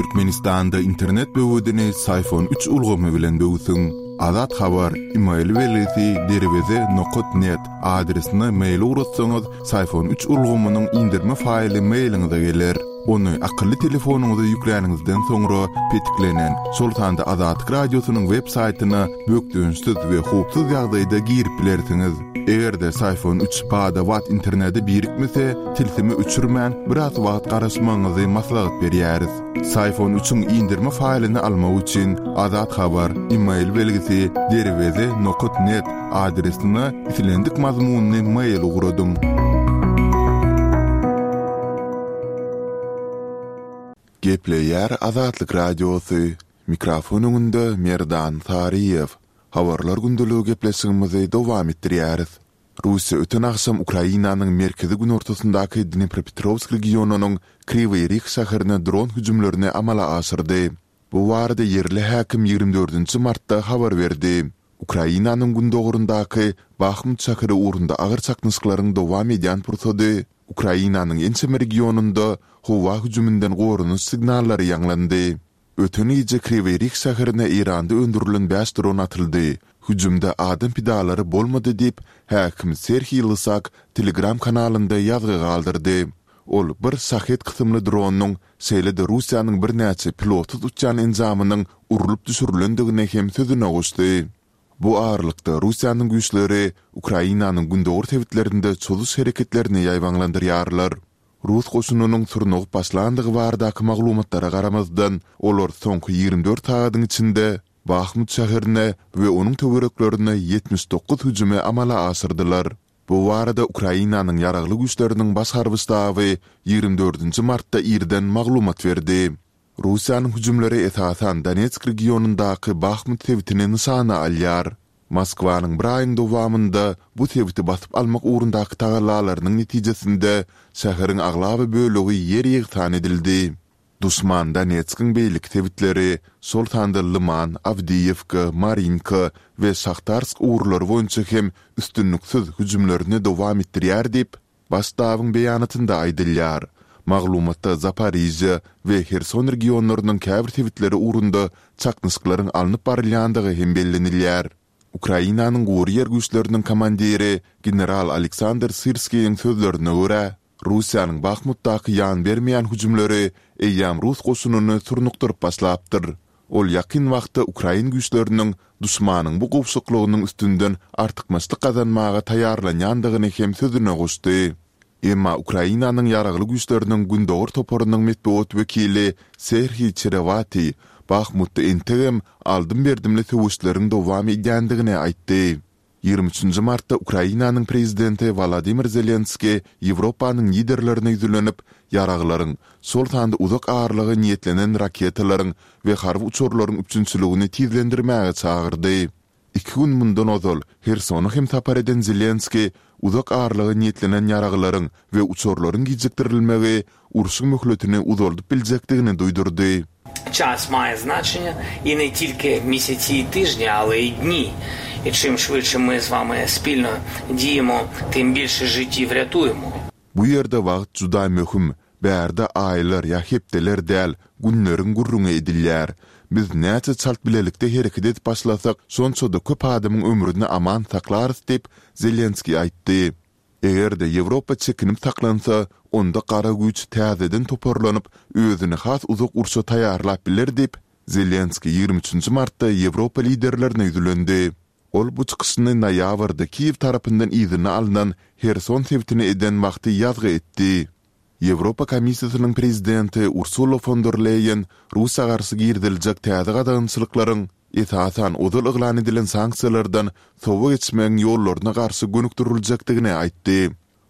Türkmenistanda internet böwedini Syfon üç ulgamy bilen böwsüň. Azat Habar, email belgisi derweze nokat net adresine mail ugratsaňyz, Syfon üç ulgamynyň indirme faýly mailiňize geler. Ony akylly telefonyňyza ýükläniňizden soňra petiklenen, şol sanda Azatlyk Radiosynyň web saýtyna bökdençsiz we howpsuz ýagdaýda girip bilersiňiz. Eger-de Syfon üç bada-bat internete birikmese, tilsimi öçürmän, biraz wagt garaşmagyňyzy maslahat berýäris. Syfon üçiň indirme faýlyny almak üçin Azat Habar, email belgisi, derweze nokat net adresine islendik mazmunly mail ugradyň. Gepleýär Azatlyk Radiosy, Mikrofon öňünde Merdan Saryýew. Habarlar gündeligi gepleşigimizi dowam etdirýäris. Russiýa öten agşam Ukrainanyň merkezi-günortasyndaky Dnepropetrowsk regionynyň Kriwiý Rih şäherine dron hüjümlerini amala aşyrdy. Bu barada ýerli häkim 24 nji martda habar berdi. Ukrainanyň gündogaryndaky Bahmut şäheri ugrunda agyr çaknyşyklaryň dowam edýän pursady Ukrainanyň ençeme regionynda howa hüjüminden goranyş signallary ýaňlandy. Öten gije Kriwiý Rih şäherine Eýranda öndürilen bäş dron atyldy. Hüjümde adam pidalary bolmady diýip, häkim Serhiý Lysak Telegram kanalynda ýazgy galdyrdy. Ol bir Şahed kysymly dronyň, şeýle-de Russiýanyň birnäçe pilotsyz uçýan enjamynyň urlup düşürilendigini hem sözüne goşdy. Bu aralykda, Russiýanyň güýçleri Ukrainanyň gündogar sebitlerinde çozuş hereketlerini ýaýbaňlandyrýarlar. Rus goşunynyň surnugyp başlandygy baradaky maglumatlara garamazdan, olar soňky 24 sagadyň içinde Bahmut şäherine we onuň töwereklerine 79 hüjümi amala aşyrdylar. Bu barada Ukrainanyň Ýaragly Güýçleriniň Baş harby ştaby 24 martda irden maglumat berdi. Russiýanyň hüjümleri esasan Donetsk regionyndaky Bahmut sebitini nyşana alýar. Moskwanyň bir aýyň dowamynda bu sebiti basyp almak ugrundaky tagallalarynyň netijesinde şäheriň aglaba bölegi ýer-ýegsan edildi. Duşman Donetskiň beýleki sebitleri, şol sanda Lyman, Awdiýewka, Marinka we Şahtarsk ugurlary boýunça hem üstünliksiz hüjümlerini dowam etdirýär diýip, Baş ştabyň beýanatynda aýdylýar. Maglumatda Zaporižýa we Herson regionlarynyň käbir sebitleri ugrunda çaknyşyklaryň alnyp barylýandygy hem bellenilýär. Ukrainanyň Gury ýer güýçleriniň komandiri general Aleksandr Syrskiýiň sözlerine görä, Russiýanyň Bahmutdaky ýan bermeýän hüjümleri eýýäm rus goşunyny surnukdyryp başlapdyr. Ol ýakyn wagtda ukrain güýçleriniň duşmanyň bu gowşaklygynyň üstünden artykmaçlyk gazanmaga taýýarlanýandygyny hem sözüne goşdy. Emma Ukrainanyň Ýaragly Güýçleriniň Gündogar toparynyň metbugat wekili Serhiý Çerewatiý Bahmutda entegem aldym-berdimli söweşleriň dowam edýändigini aýtdy. 23 martda Ukrainanyň prezidenti Wolodymyr Zelenskiý Ýewropanyň liderlerine ýüzlenip, ýaraglaryň, şol sanda uzak aralyga niýetlenen raketalaryň we harby uçarlaryň üpjünçiligini tizlendirmäge çagyrdy. Iki gün mundan ozal Hersona hem sapar eden Zelenskiý uzak aralyga niýetlenen ýaraglaryň we uçarlaryň gijikdirilmegi urşuň möhletini uzaldyp biljekdigini duýdurdy. Ças maýe znaçeniýe i ne tilki mesesi i tyžni, ale i dni. I çim şwytše my z wami spilno diýemo, tym bilşe žitiw rýatuýemo. Bu ýerde wagt juda möhüm, bärde aýlar ýa hepdeler däl, günleriň gürrüňi edilýär. Biz näçe çalt bilelikde hereket edip başlasak, şonça-da köp adamyň ömrüni aman saklarys diýip, Zelenskiý aýtdy. Eger-de Ýewropa çekinip saklansa, onda gara güýç täzeden toparlanyp, özüni has uzak urşa taýýarlap biler diýip, Zelenskiý 23 martda Ýewropa liderlerine ýüzlendi. Ol bu çykyşyny noýabrda Kiýew tarapyndan yzyna alnan Herson sebitine eden wagty ýazgy etdi. Ýewropa Komissiýasynyň prezidenti Ursula fon der Leýen Russiýa garşy giriziljek täze gadagançylyklaryň, esasan, ozal yglan edilen sanksiýalardan sowa geçmegiň ýollaryna garşy gönükdiriljekdigini aýtdy.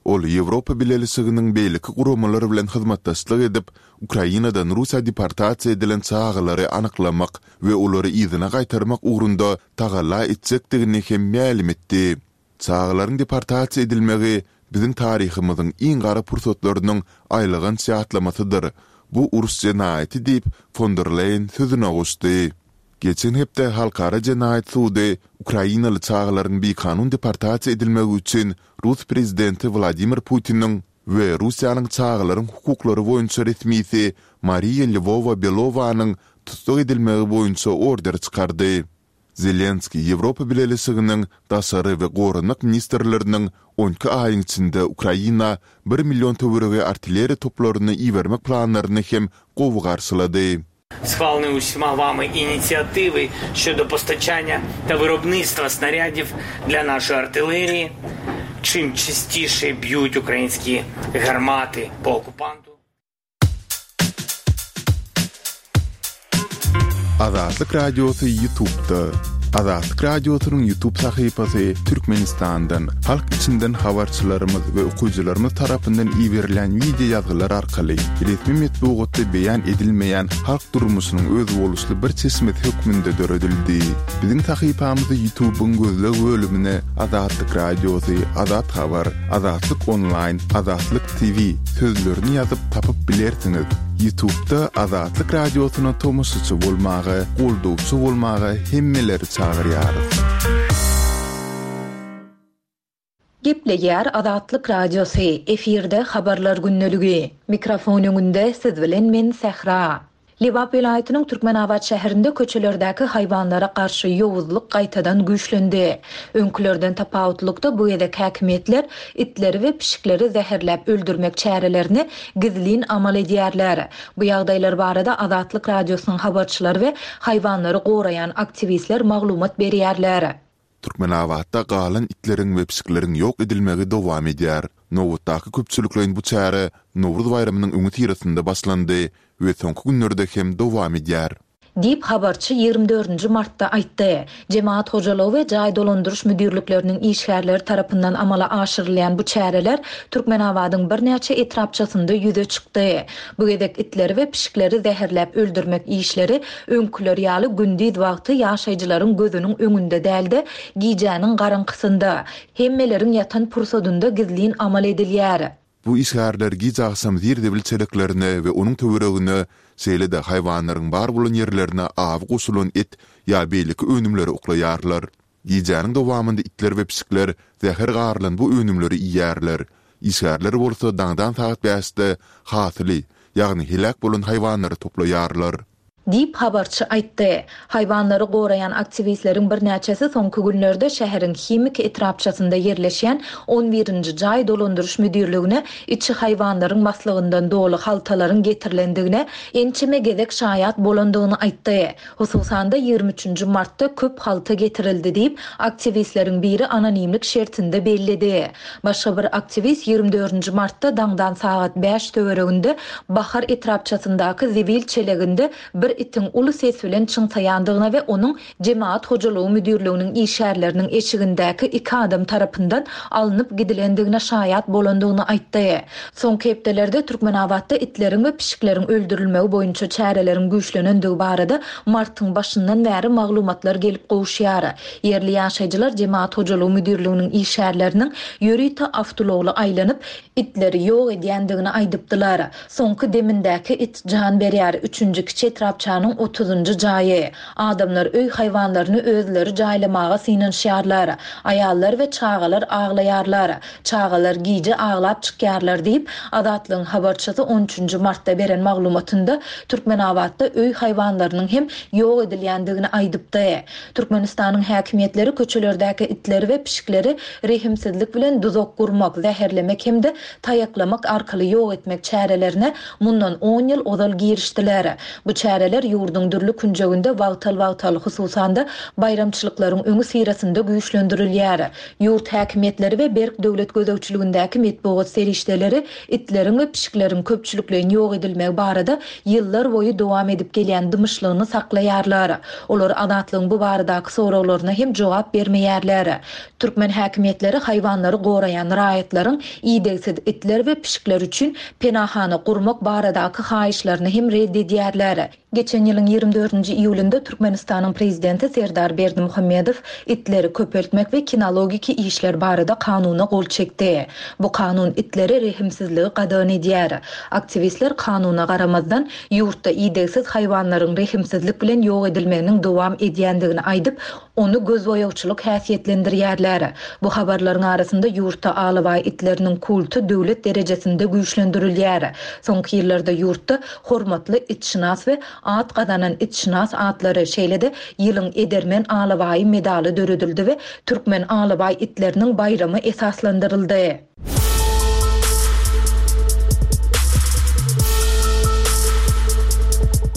Ol Ýewropa Bileleşiginiň beýleki guramalar bilen hyzmatdaşlyk edip, Ukrainadan Russiýa deportasiýa edilen çagalary anyklamak we olary yzyna gaýtarmak ugrunda tagalla etjekdigini hem mälim etdi. Çagalaryň deportasiýa edilmegi biziň taryhymyzyň iň gara pursatlarynyň aýylganç ýatlamasydyr. Bu uruş jenaýaty diýip, fon der Leýen sözüne goşdy. Geçen hepde Halkara jenaýat sudy ukrainaly çagalaryň bikanun deportasiýa edilmegi üçin rus prezidenti Wladimir Putiniň. we Russiýanyň çagalaryň hukuklary boýunça resmisi Mariýa Lwowa-Belowanyň tussag edilmegi boýunça order çykardy. Zelenskiý Ýewropa Bileleşiginiň daşary we goranmak ministrleriniň on iki aýyň içinde Ukraina bir million töweregi artilleriýa toplaryny ibermek planlaryny hem gowy garşylady. Sхвалені усіма вами ініціативи щодо постачання та виробництва снарядів для нашої артилерії. Чим частіше б'ють українські гармати по окупанту. Azatlyk Radiosy Ýutubda. Azatlyk Radiosynyň Ýutub sahypasy Türkmenistandan, halk içinden habarçylarymyz we okyjylarymyz tarapyndan iberilen wideo ýazgylar arkaly resmi metbugatda beýan edilmeýän halk durmuşynyň özboluşly bir çeşmesi hökmünde döredildi. Biziň sahypamyzy Ýutubyň gözleg bölümine Azatlyk Radiosy, Azat Habar, Azatlyk Onlaýn, Azatlyk TV sözlerini ýazyp tapyp bilersiňiz. Ýutubda Azatlyk Radiosyna tomaşaçy bolmaga, goldawçy bolmaga hemmeleri çagyrýarys. Gepleýär Azatlyk Radiosy, efirde Habarlar gündeligi. Mikrofon öňünde siz bilen men Sähra. Lebap welaýatynyň Türkmenabat şäherinde köçelerdäki haýwanlara garşy ýowuzlyk gaýtadan güýçlendi. Öňkülerden tapawutlykda bu gezek häkimiýetler itleri we pişikleri zäherläp öldürmek çärelerini gizlin amal edýärler. Bu ýagdaýlar barada Azatlyk Radiosynyň habarçylary we haýwanlary goraýan aktiwistler maglumat berýärler. Türkmenabatda galan itleriň we pişikleriň ýok edilmegi dowam edýär. Nobatdaky köpçülikleýin bu çäre Nowruz baýramynyň öňüsyrasynda başlandy we soňky günlerde hem dowam edýär. Diýip, habarçy ýigrimi dördünji martda aýtdy. Jemagat hojalygy we jaý dolandyryş müdirlikleriniň işgärleri tarapyndan amala aşyrylýan bu çäreler Türkmenabadyň birnäçe etrapçasynda ýüze çykdy. Bu gezek itleri we pişikleri zäherläp öldürmek işleri öňküler ýaly gündiz wagty ýaşaýjylaryň gözüniň öňünde däl-de, gijäniň garaňkysynda, hemmeleriň ýatan pursadynda gizlin amal edilýär. Bu işgärler giç agşam zir-zibil çeleklerine we onuň töweregine, şeýle-de haýwanlaryň bar bolan ýerlerine awy goşulan et ýa beýleki önümleri oklaýarlar. Gijäniň dowamynda itler we pişikler zäher garylan bu önümleri iýýärler. Işgärler bolsa daňdan sagat bäşde hasyly, ýagny heläk bolan haýwanlary toplaýarlar. Diýip, habarçy aýtdy. Haýwanlary goraýan aktiwistleriň birnäçesi soňky günlerde şäheriň Himik etrapçasynda ýerleşýän on birinji jaý dolandyryş müdirligine içi haýwanlaryň maslygyndan doly haltalaryň getirilendigine ençeme gezek şaýat bolandygyny aýtdy. Hususan-da, ýigrimi üçünji martda köp halta getirildi diýip, aktiwistleriň biri anonimlik şertinde belledi. Başga bir aktiwist ýigrimi dördünji martda daňdan sagat bäş töwereginde Bahar etrapçasyndaky zibil çeleginde bir itiň uly ses bilen çyňsaýandygyna we onuň Jemagat hojalygy müdirliginiň işgärleriniň eşigindäki iki adam tarapyndan alnyp gidilendigine şaýat bolandygyny aýtdy. Soňky hepdelerde Türkmenabatda itleriň we pişikleriň öldürilmegi boýunça çäreleriň güýçlenendigi barada martyň başyndan bäri maglumatlar gelip gowuşýar. Ýerli ýaşaýjylar Jemagat hojalygy müdirliginiň işgärleriniň ýörite awtoulagly aýlanyp, itleri ýok edýändigini aýdypdylar. Soňky demindäki it jan berýär, üçünji kiçi etrapçanyň otuzynjy jaýy. Adamlar öý haýwanlaryny özleri jaýlamaga synanyşýarlar. Aýallar we çagalar aglaýarlar. Çagalar gije aglap çykýarlar diýip, Azatlygyň habarçysy on üçünji martda beren maglumatynda Türkmenabatda öý haýwanlarynyň hem ýok edilýändigini aýdypdy. Türkmenistanyň häkimiýetleri köçelerdäki itleri we pişikleri rehimsizlik bilen duzak gurmak, zäherlemek hem-de taýaklamak arkaly ýok etmek çärelerine mundan on ýyl ozal girişdiler. Bu çäreler ýurduň dürli künjeginde wagtal-wagtal, hususan-da, baýramçylyklaryň öňüsyrasynda güýçlendirilýär. Ýurt häkimiýetleri we berk döwlet gözegçiligindäki metbugat serişdeleri itleriň we pişikleriň köpçülikleýin ýok edilmegi barada ýyllar boýy dowam edip gelýän dymyşlygyny saklaýarlar. Olar Azatlygyň bu baradaky soraglaryna hem jogap bermeýärler. Türkmen häkimiýetleri haýwanlary goraýan raýatlaryň idegsiz itler we pişikler üçin penahana gurmak baradaky haýyşlaryny hem ret edýärler. Geçen ýylyň ýigrimi dördünji iýulynda Türkmenistanyň Prezidenti Serdar Berdimuhamedow itleri köpeltmek we kinologiki işler barada kanuna gol çekdi. Bu kanun itlere rehimsizligi gadagan edýär. Aktiwistler kanuna garamazdan, ýurtda idegsiz haýwanlaryň rehimsizlik bilen ýok edilmeginiň dowam edýändigini aýdyp, Ony gözboýagçylyk häsiýetlendirýärler. Bu habarlaryň arasynda ýurtda alabaý itleriniň kulty döwlet derejesinde güýçlendirilýär. Soňky ýyllarda ýurtda Hormatly itşynas we At gazanan itşynas atlary, şeýle-de Ýylyň edermen alabaýy medaly döredildi we Türkmen alabaý itleriniň baýramy esaslandyryldy.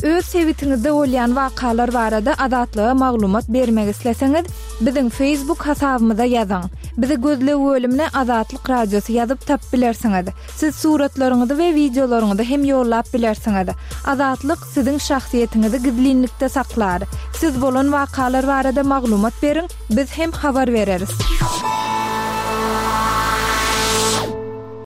Öz sebitiňizde bolýan wakalar barada Azatlyga maglumat bermek isleseňiz, biziň Facebook hasabymyza ýazyň. Bizi gözleg bölümine Azatlyk Radiosy ýazyp tapyp bilersiňiz. Siz suratlaryňyzy we wideolaryňyzy hem ýollap bilersiňiz. Azatlyk siziň şahsyýetiňizi gizlinlikde saklar. Siz bolan wakalar barada maglumat beriň, biz hem habar bereris.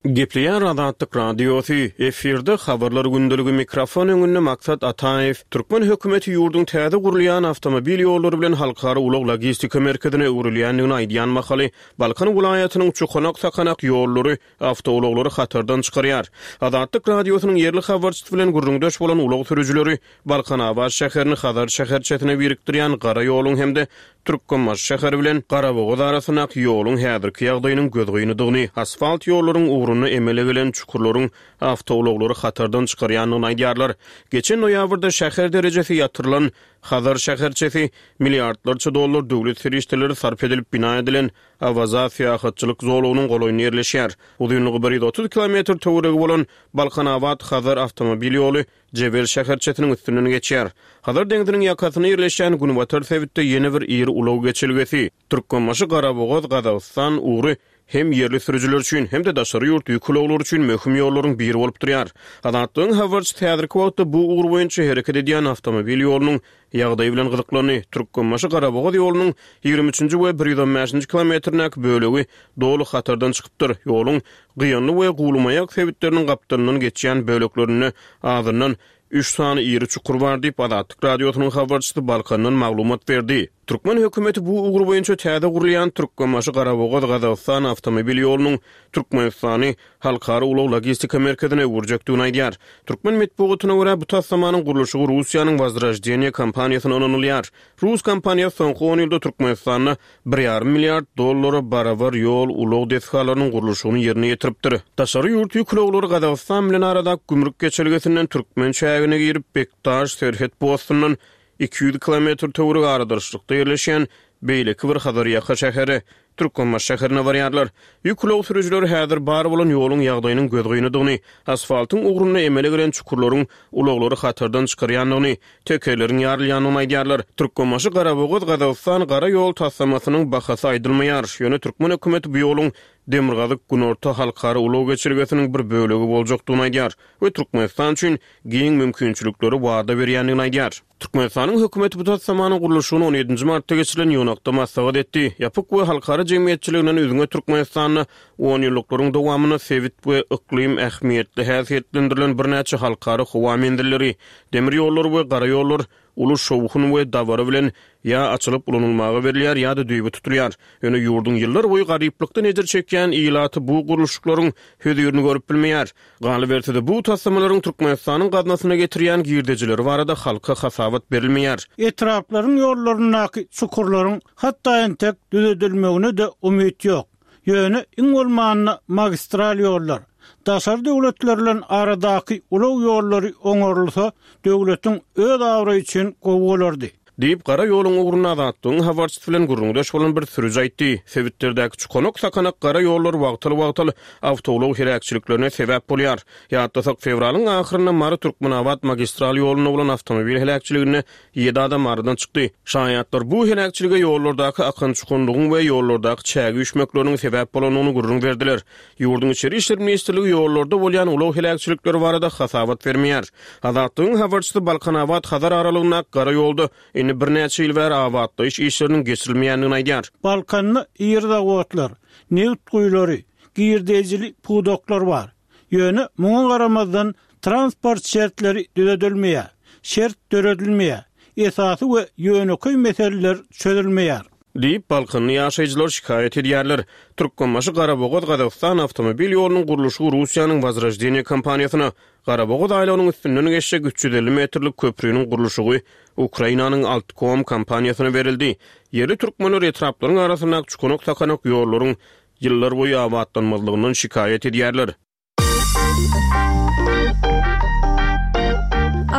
Gepleýär Azatlyk Radiosy, efirde Habarlar gündeligi mikrofon öňünde Maksat Ataýew. Türkmen hökümeti ýurduň täze gurulýan awtomobil ýollary bilen halkara ulag-logistika merkezine öwrülýändigini aýdýan mahaly, Balkan welaýatynyň çukanak-sakanak ýollary awtoulaglary hatardan çykarýar. Azatlyk Radiosynyň ýerli habarçysy bilen gürrüňdeş bolan ulag sürüjileri Balkanabat şäherini Hazar şäherçesine birikdirýän gara ýoluň hem-de Türkmenbaşy şäheri bilen Garabogaz arasyndaky ýoluň häzirki ýagdaýynyň gözgynydygyny, asfalt ýollaryň ugrunda emele gelen çukurlaryň awtoulaglary hatardan çykarýandygyny aýdýarlar. Geçen noýabrda şäher derejesi ýatyrylan Hazar şäherçesi milliardlarça dollar döwlet serişdeleri sarp edilip bina edilen Awaza syýahatçylyk zolagynyň golaýynda ýerleşýär. Uzynlygy 130 kilometr töweregi bolan Balkanabat-Hazar awtomobil ýoly Jebel şäherçesiniň üstünden geçýär. Hazar deňziniň ýakasynda ýerleşýän günbatar sebitde ýene bir iri ulag geçelgesi, Türkmenbaşy-Garabogaz, Gazagystan, ugry hem ýerli sürüjiler üçin, hem-de daşary ýurt ýük ulaglary üçin möhüm ýollaryň biri bolup durýar. Azatlygyň habarçysy häzirki wagtda bu ugur boýunça hereket edýän awtomobil ýolunyň ýagdaýy bilen gyzyklandy. Türkmenbaşy-Garabogaz ýolunyň 23-nji we 115-nji kilometrindäki bölegi doly hatardan çykypdyr. Ýoluň Gyýanly we Guwlymaýak sebitleriniň gapdalyndan geçýän böleklerinde azyndan üç sany iri çukur bar diýip, Azatlyk Radiosynyň habarçysy Balkandan maglumat berdi. Türkmen hökümeti bu ugur boýunça täze gurulýan Türkmenbaşy-Garabogaz-Gazagystan awtomobil ýolunyň Türkmenistany halkara ulag-logistika merkezine öwürjekdigini aýdýar. Türkmen metbugatyna görä, bu taslamanyň gurluşygy Russiýanyň Wozroždeniýe kompaniýasyna ynanylýar. Rus kompaniýasy soňky on ýylda Türkmenistanda bir ýarym milliard dollara barabar ýol-ulag desgalarynyň gurluşygyny ýerine ýetiripdir. Daşary ýurt ýük ulaglary Gazagystan bilen aradaky gümrük geçelgesinden türkmen çägine girip, Bekdaş serhet postundan 200 kilometr töweregi aradarçlykda ýerleşýän beýleki bir Hazarýaka şäheri, Türkmenbaşy şäherine barýarlar. Ýük ulag sürüjileri häzir bar bolan ýoluň ýagdaýynyň gözgynydygyny, asfaltyň ugrunda emele gelen çukurlaryň ulaglary hatardan çykarýandygyny, tekerleriň ýarylýandygyny aýdýarlar. Türkmenbaşy Garabogaz Gazagystan gara ýol taslamasynyň bahasy aýdylmaýar. Ýöne türkmen hökümeti bu ýoluň Demirgazyk-Günorta halkara ulag geçelgesiniň bir bölegi boljakdygyny aýdýar we Türkmenistan üçin giň mümkinçilikleri wada berýändigini aýdýar. Türkmenistanyň hökümeti bu taslamanyň gurluşygyny on ýedinji martda geçirilen ýygnakda maslahat etdi. Ýapyk we halkara jemgyýetçiliginden üzňe Türkmenistanda onýyllyklaryň dowamynda sebit we yklym ähmiýetli häsiýetlendirilen birnäçe halkara howa menzilleri, demir ýollary we gara ýollar uly şowhun we dabara bilen ýa açylyp ulanylmaga berilýär ýa-da düýbi tutulýar. Ýöne ýurduň ýyllarboýy garyplykdan ejir çekýän ilaty bu gurluşyklaryň hözirini görüp bilmeýär. Galyberse-de, bu taslamalaryň Türkmenistanyň gaznasyna getirýän girdejileri barada halka hasabat berilmeýär. Etraplaryň ýollaryndaky çukurlaryň hatda entek düzedilmegine-de umyt ýok. Ýöne iň bolmanda magistral ýollar, daşary döwletler bilen aradaky ulag ýollary oňarylsa, döwletiň öz abraýy üçin gowy bolardy. Diýip, gara ýoluň ugrunda Azatlygyň habarçysy bilen gürrüňdeş bolan bir sürüji aýtdy. Sebitlerdäki çukanak-sakanak gara ýollar wagtal-wagtal awtoulag heläkçiliklerine sebäp bolýar. Ýatlasak, fewralyň ahyrynda Mary-Türkmenabat magistral ýolunda bolan awtomobil heläkçiliginde ýedi adam aradan çykdy. Şaýatlar bu heläkçilige ýollardaky akan-çukanlygyň we ýollardaky çäge üýşmekleriniň sebäp bolandygyny gürrüň berdiler. Ýurduň Içeri işler ministrligi ýollarda bolýan ulag heläkçilikleri barada hasabat bermeýär. Azatlygyň habarçysy Balkanabat-Hazar aralygyndaky gara ýolda indi birnäçe ýyl bäri abatlaýyş işleriniň geçirilmeýändigini aýdýar. Balkanda iri zawodlar, nebit guýulary, girdejili pudaklar bar. Ýöne muňa garamazdan transport şertleri düzedilmeýär, şert döredilmeýär, esasy we ýönekeý meseleler çözülmeýär. Diýip, balkanly ýaşaýjylar şikaýat edýärler. Türkmenbaşy-Garabogaz-Gazagystan awtomobil ýolunyň gurluşygy Russiýanyň Wozroždeniýe kompaniýasyna, Garabogaz aýlagynyň üstünden geçjek 350 metrlik köpriniň gurluşygy Ukrainanyň Altkom kompaniýasyna berildi. Ýerli türkmenler etraplaryň arasyndaky çukanak-sakanak ýollaryň ýyllarboýy abatlanmazlygyndan şikaýat edýärler.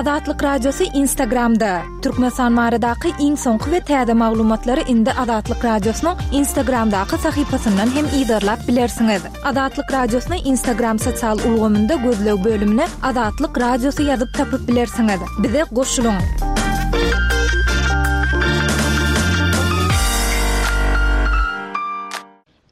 Azatlyk Radiosy Instagramda, Türkmenistan baradaky iň soňky we täze maglumatlary indi Azatlyk Radiosynyň Instagramdaky sahypasyndan hem yzarlap bilersiňiz. Azatlyk Radiosyny Instagram sosial ulgamynda gözleg bölümine Azatlyk Radiosy ýazyp tapyp bilersiňiz. Bize goşulyň!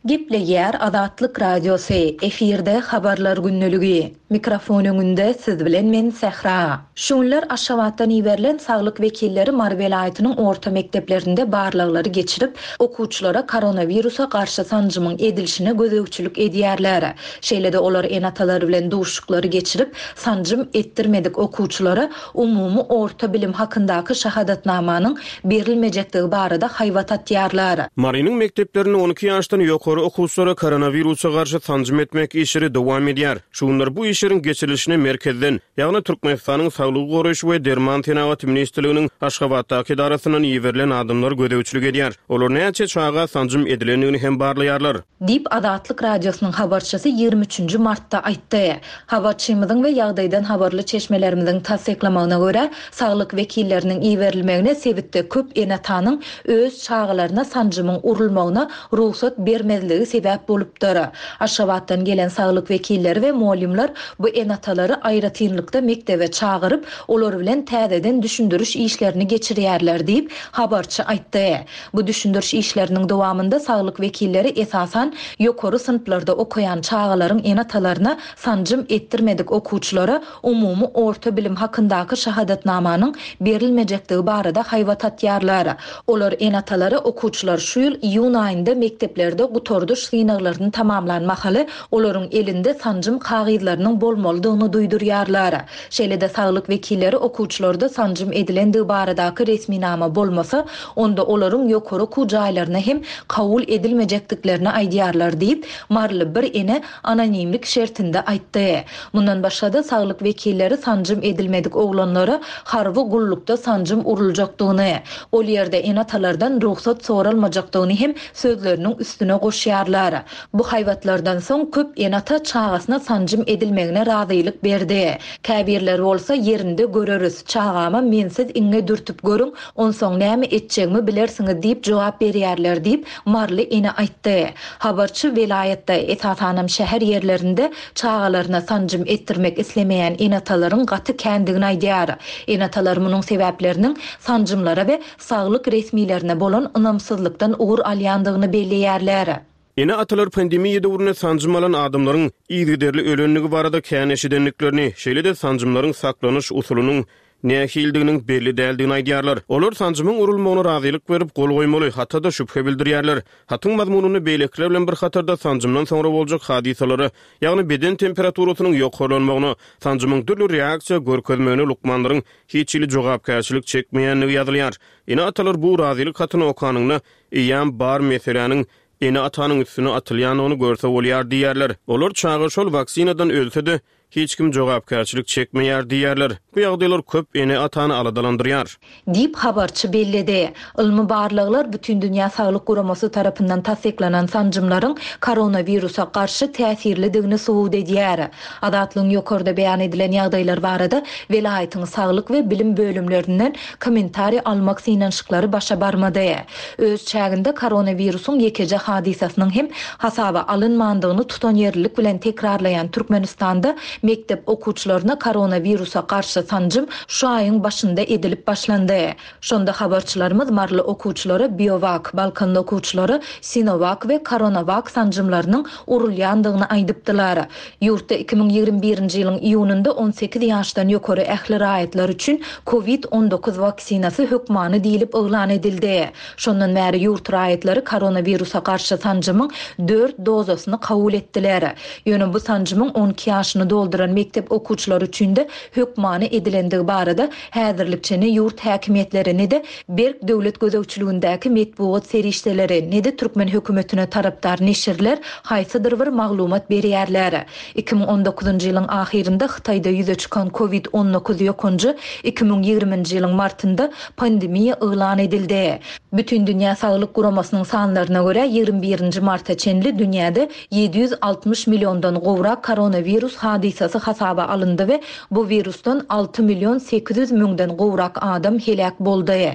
Gepleýär Azatlyk Radiosy, efirde Habarlar gündeligi. Mikrofon öňünde siz bilen men Sähra. Şu günler Aşgabatdan iberilen saglyk wekilleri Mary welaýatynyň orta mekdeplerinde barlaglary geçirip, okuwçylara koronawirusa garşy sanjymyň edilişine gözegçilik edýärler. Şeýle-de olar ene-atalar bilen duşuşyklary geçirip, sanjym etdirmedik okuwçylara umumy orta bilim hakyndaky şahadatnamanyň berilmejekdigi barada haýbat atýarlar. Marynyň mekdeplerinde 12 ýaşdan ýokary okuwçylara koronawirusa garşy sanjym etmek işleri dowam edýär. Şu günler bu işleriň geçirilişine merkezden, ýagny Türkmenistanyň Saglygy goraýyş we derman senagaty ministrliginiň Aşgabatdaky edarasyndan iberilen adamlar gözegçilik edýär. Olar näçe çaga sanjym edilendigini hem barlaýarlar. Diýip, Azatlyk Radiosynyň habarçysy ýigrimi üçünji martda aýtdy. Habarçymyzyň we ýagdaýdan habarly çeşmelerimiziň tassyklamagyna görä, saglyk wekilleriniň iberilmegine sebitde köp ene-atanyň öz çagalaryna sanjymyň urulmagyna rugsat bermezligi sebäp bolupdyr. Aşgabatdan gelen saglyk wekilleri we mugallymlar bu ene-atalary aýratynlykda mekdebe çagyryp, olar bilen täzeden düşündiriş işlerini geçirýärler diýip, habarçy aýtdy. Bu düşündiriş işleriniň dowamynda saglyk wekilleri esasan ýokary synplarda okaýan çagalaryň ene-atalaryna sanjym etdirmedik okuwçylara umumy orta bilim hakyndaky şahadatnamanyň berilmejekdigi barada haýbat atýarlar. Olar ene-atalara okuwçylar şu ýyl iýun aýynda mekdeplerde gutardyş synaglaryny tamamlan mahaly olaryň elinde sanjym kagyzlarynyň bolmalydygyny duýdurýarlar. Şeýle-de saglyk wekilleri okuwçylarda sanjym edilendigi baradaky resminama bolmasa, onda olaryň ýokary okuw jaýlaryna hem kabul edilmejekdiklerini aýdýarlar diýip, maryly bir ene anonimlik şertinde aýtdy. Mundan başga-da, saglyk wekilleri sanjym edilmedik oglanlara harby gullukda sanjym uruljakdygyny, ol ýerde ene-atalardan rugsat soralmajakdygyny hem sözleriniň üstüne goşýarlar. Bu haýbatlardan soň köp ene-ata çagasyna sanjym edilmegine razylyk berdi. Käbirleri bolsa ýerinde göreris, çagama mensiz iňňe dürtüp görüň, onsoň näme etjegimi bilersiňiz diýip jogap berýärler diýip, maryly ene aýtdy. Habarçy welaýatda, esasanam şäher ýerlerinde çagalaryna sanjym etdirmek islemeýän ene-atalaryň gaty kändigini aýdýar. Ene-atalar munuň sebäpleriniň sanjymlara we saglyk resmilerine bolan ynamsyzlykdan ugur alýandygyny belleýärler. Ene-atalar pandemiýa döwründe sanjym alan adamlaryň yzygiderli ölendigi barada kän eşidendiklerini, şeýle-de sanjymlaryň saklanyş usulynyň nähilidiginiň belli däldigini aýdýarlar. Olar sanjymyň urulmagyna razylyk berip, gol goýmaly hata-da şübhe bildirýärler. Hatyň mazmunynda beýlekiler bilen bir hatarda sanjymdan soňra boljak hadysalara, ýagny beden temperaturasynyň ýokarlanmagyna, sanjymyň dürli reaksiýa görkezmegine lukmanlaryň hiç hili jogapkärçilik çekmeýändigi ýazylýar. Ene-atalar bu razylyk hatyny okanynda, eýýäm bar meseläniň ene-atanyň üstüne atylýandygyny görse bolýar diýýärler. Olar çaga şol waksinadan ölse-de, hiç kim jogapkärçilik çekmeýär diýýärler. Bu ýagdaýlar köp ene-atany aladalandyrýar. Diýip, habarçy belledi. Ylmy barlaglar Bütindünýä Saglyk Guramasy tarapyndan tassyklanan sanjymlaryň koronawirusa garşy täsirlidigini subut edýär. Azatlygyň ýokarda beýan edilen ýagdaýlar barada welaýatyň saglyk we bilim bölümlerinden kommentariý almak synanyşyklary başa barmady. Öz çäginde koronawirusyň ýekeje hadysasynyň hem hasaba alynmandygyny tutanýerlilik bilen tekrarlaýan Türkmenistanda mekdep okuwçylaryna koronawirusa garşy sanjym şu aýyň başynda edilip başlandy. Şonda habarçylarymyz maryly okuwçylara Biowak, balkanly okuwçylara Sinowak we Koronawak sanjymlarynyň urulýandygyny aýdypdylar. Ýurtda 2021-nji ýylyň iýunynda 18 ýaşdan ýokary ähli raýatlar üçin Covid 19 waksinasy hökmany diýlip yglan edildi. Şondan bäri ýurt raýatlary koronawirusa garşy sanjymyň dört dozasyny kabul etdiler. Ýöne bu sanjymyň 12 ýaşyny dolduran. dolduran mekdep okuwçylary üçin-de hökmany edilendigi barada häzirlikçe ne ýurt häkimiýetleri, ne-de berk döwlet gözegçiligindäki metbugat serişdeleri, ne-de türkmen hökümetine tarapdar neşirler haýsydyr bir maglumat berýärler. 2019-njy ýylyň ahyrynda Hytaýda ýüze çykan Covid 19 ýokanjy 2020-nji ýylyň martynda pandemiýa yglan edildi. Bütindünýä Saglyk Guramasynyň sanlaryna görä, 21-nji marta çenli dünýäde 760 milliondan gowrak koronawirus hadysasy hasaba alyndy we bu wirusdan 6 million 800 müňden gowrak adam heläk boldy.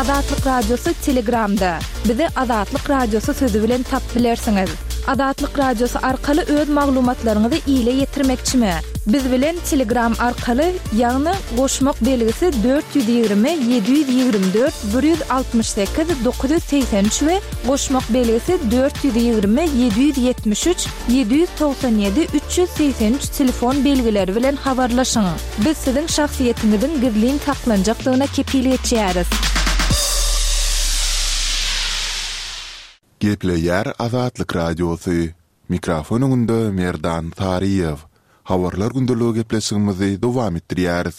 Azatlyk Radiosy Telegramda. Bizi Azatlyk Radiosy sözi bilen tapyp bilersiňiz. Azatlyk Radiosy arkaly öz maglumatlaryňyzy ile ýetirmekçimi? Biz bilen Telegram arkaly, ýagny goşmak belgisi 420 724 168 983 we goşmak belgisi 420 773 797 383 telefon belgileri bilen habarlaşyň. Biz siziň şahsyýetiňiziň gizlin saklanjakdygyna kepil geçýäris. Gepleýär Azatlyk Radiosy. Mikrofon öňünde Merdan Saryýew. Habarlar gündeligi gepleşigimizi dowam etdirýäris.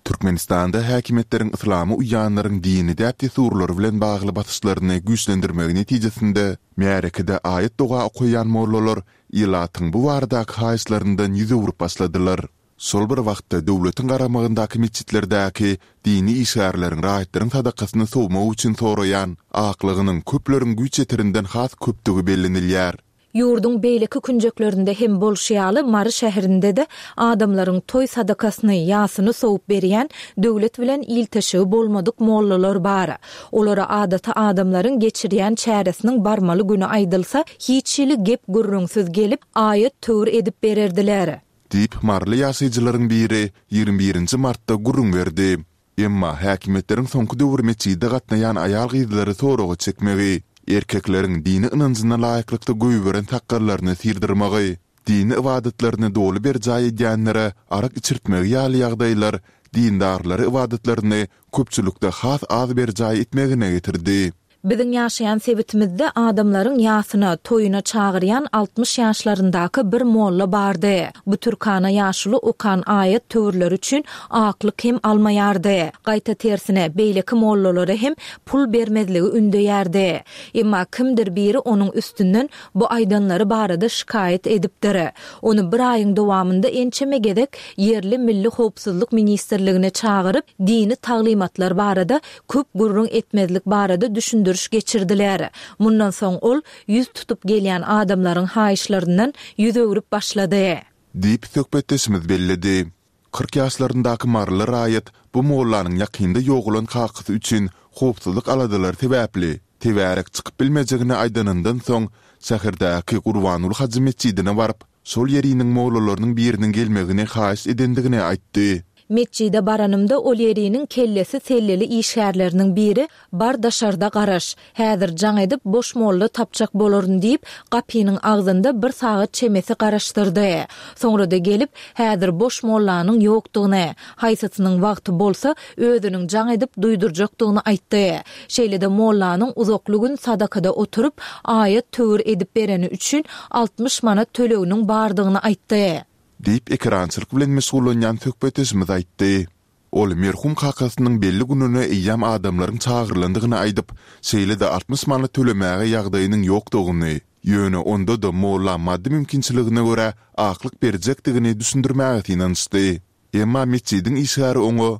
Türkmenistanda häkimiýetleriň yslama uýýanlaryň dini däp-dessurlary bilen bagly basyşlaryny güýçlendirmegi netijesinde, märekede aýat-doga okaýan mollalar ilatyň bu baradaky haýyşlaryndan ýüz öwrüp başladylar. Şol bir wagtda, döwletiň garamagyndaky metjitlerdäki dini işgärleriň raýatlaryň sadakasyny sowmak üçin soraýan aklygynyň köpleriň güýç ýeterinden has köpdügi bellenilýär. Ýurduň beýleki künjeklerinde hem bolşy ýaly, Mary şäherinde-de adamlaryň toý sadakasyny, ýasyny sowup berýän döwlet bilen ilteşigi bolmadyk mollalar bar. Olara adaty adamlaryň geçirýän çäresiniň barmaly güni aýdylsa, hiç hili gep-gürrüňsiz gelip, aýat-töwir edip bererdiler. Diýip, maryly ýaşaýjylaryň biri 21 birinji martda gürrüň berdi. Emma häkimiýetleriň soňky döwür metjide gatnaýan aýal-gyzlary soraga çekmegi, erkekleriň dini ynanjyna laýyklykda goýberen sakgallaryny syrdyrmagy, dini ybadatlaryny doly berjaý edýänlere arak içirtmegi ýaly ýagdaýlar dindarlary ybadatlaryny köpçülikde has az berjaý etmegine getirdi. Biziň ýaşaýan sebitimizde adamlaryň ýasyna, toýuna çagyrýan 60 ýaşlaryndaky bir molla bardy. Bu türkana ýaşuly okan aýat-töwirleri üçin aklyk hem almaýardy. Gaýta tersine, beýleki mollalara hem pul bermezligi ündeýärdi. Emma kimdir biri onuň üstünden bu aýdanlary barada şikaýat edipdir. Ony bir aýyň dowamynda ençeme gezek ýerli Milli howpsuzlyk ministrligine çagyryp, dini taglymatlar barada köp gürrüň etmezlik barada düşündiriş geçirdiler. Mundan soň ol ýüz tutup gelýän adamlaryň haýyşlaryndan ýüz öwrüp başlady. Diýip, söhbetdeşimiz belledi. 40 ýaşlaryndaky maryly raýat bu mollanyň ýakynda ýogalan kakasy üçin howpsuzlyk aladalary sebäpli, tebärek çykyp bilmejegini aýdanyndan soň, şäherdäki Gurbanguly hajy metjidine baryp, şol ýeriniň mollalarynyň biriniň gelmegini haýyş edendigini aýtdy. Metjide baranymda ol ýeriniň kellesi selleli işgärleriniň biri, Bar daşarda garaş. Häzir jaň edip boş molla tapjak bolaryn diýip, gapynyň agzynda bir sagat çemesi garaşdyrdy. Soňra-da gelip, häzir boş mollanyň ýokdugyny, haýsysynyň wagty bolsa, özüniň jaň edip duýdurjakdygyny aýtdy. Şeýle-de mollanyň uzakly gün sadakada oturyp, aýat-töwir edip bereni üçin 60 manat töleginiň bardygyny aýtdy. Diýip, ekerançylyk bilen meşgullanýan söhbetdeşimiz aýtdy. Ol merhum kakasynyň belli gününe eýýäm adamlaryň çagyrylandygyny aýdyp, şeýle-de 60 manat tölemäge ýagdaýynyň ýokdugyny, ýöne onda-da molla maddy mümkinçiligine görä aklyk berjekdigini düşündirmäge synanyşdy. Emma metjidiň işgäri oňa,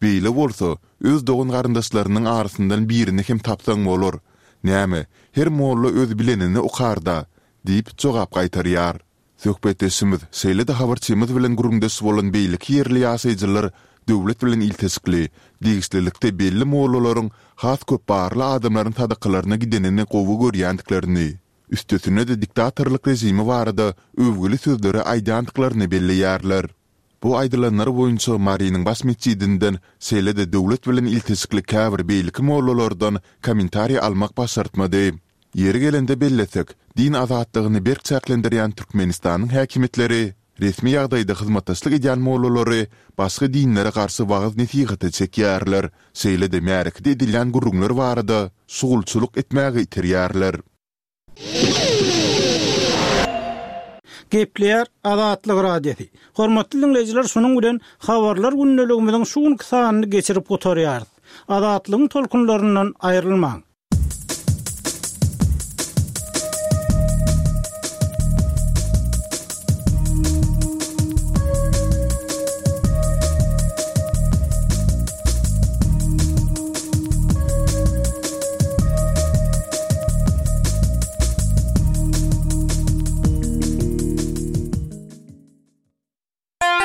Beýle bolsa, öz dogan-garyndaşlarynyň arasyndan birini hem tapsaň bolar. Näme, her molla öz bilenini okar-da! diýip jogap gaýtarýar. Söhbetdeşimiz, şeýle-de habarçymyz bilen gürrüňdeş bolan beýleki ýerli ýaşaýjylar döwlet bilen ilteşikli, degişlilikde belli mollalaryň has köp barly adamlaryň sadakalaryna gidenini gowy görýändiklerini, üstesine-de diktatorlyk režimi barada öwgüli sözleri aýdýandyklaryny belleýärler. Bu aýdylanlar boýunça Marynyň baş metjidinden, şeýle-de döwlet bilen ilteşikli käbir beýleki mollalardan kommentariý almak başartmady. Ýeri gelende bellesek, din azatlygyny berk çäklendirýän Türkmenistanyň häkimiýetleri resmi ýagdaýda hyzmatdaşlyk edýän mollalary başga dinlere garşy wagyz-nesihata çekýärler, şeýle-de märekede edilýän gürrüňler barada şugulçylyk etmäge iterýärler. Gepleýär Azatlyk Radiosy. Hormatly diňleýjiler şunuň bilen Habarlar gündeligimiziň şu günki sanyny geçirip gutarýarys. Azatlygyň tolkunlaryndan aýrylmaň.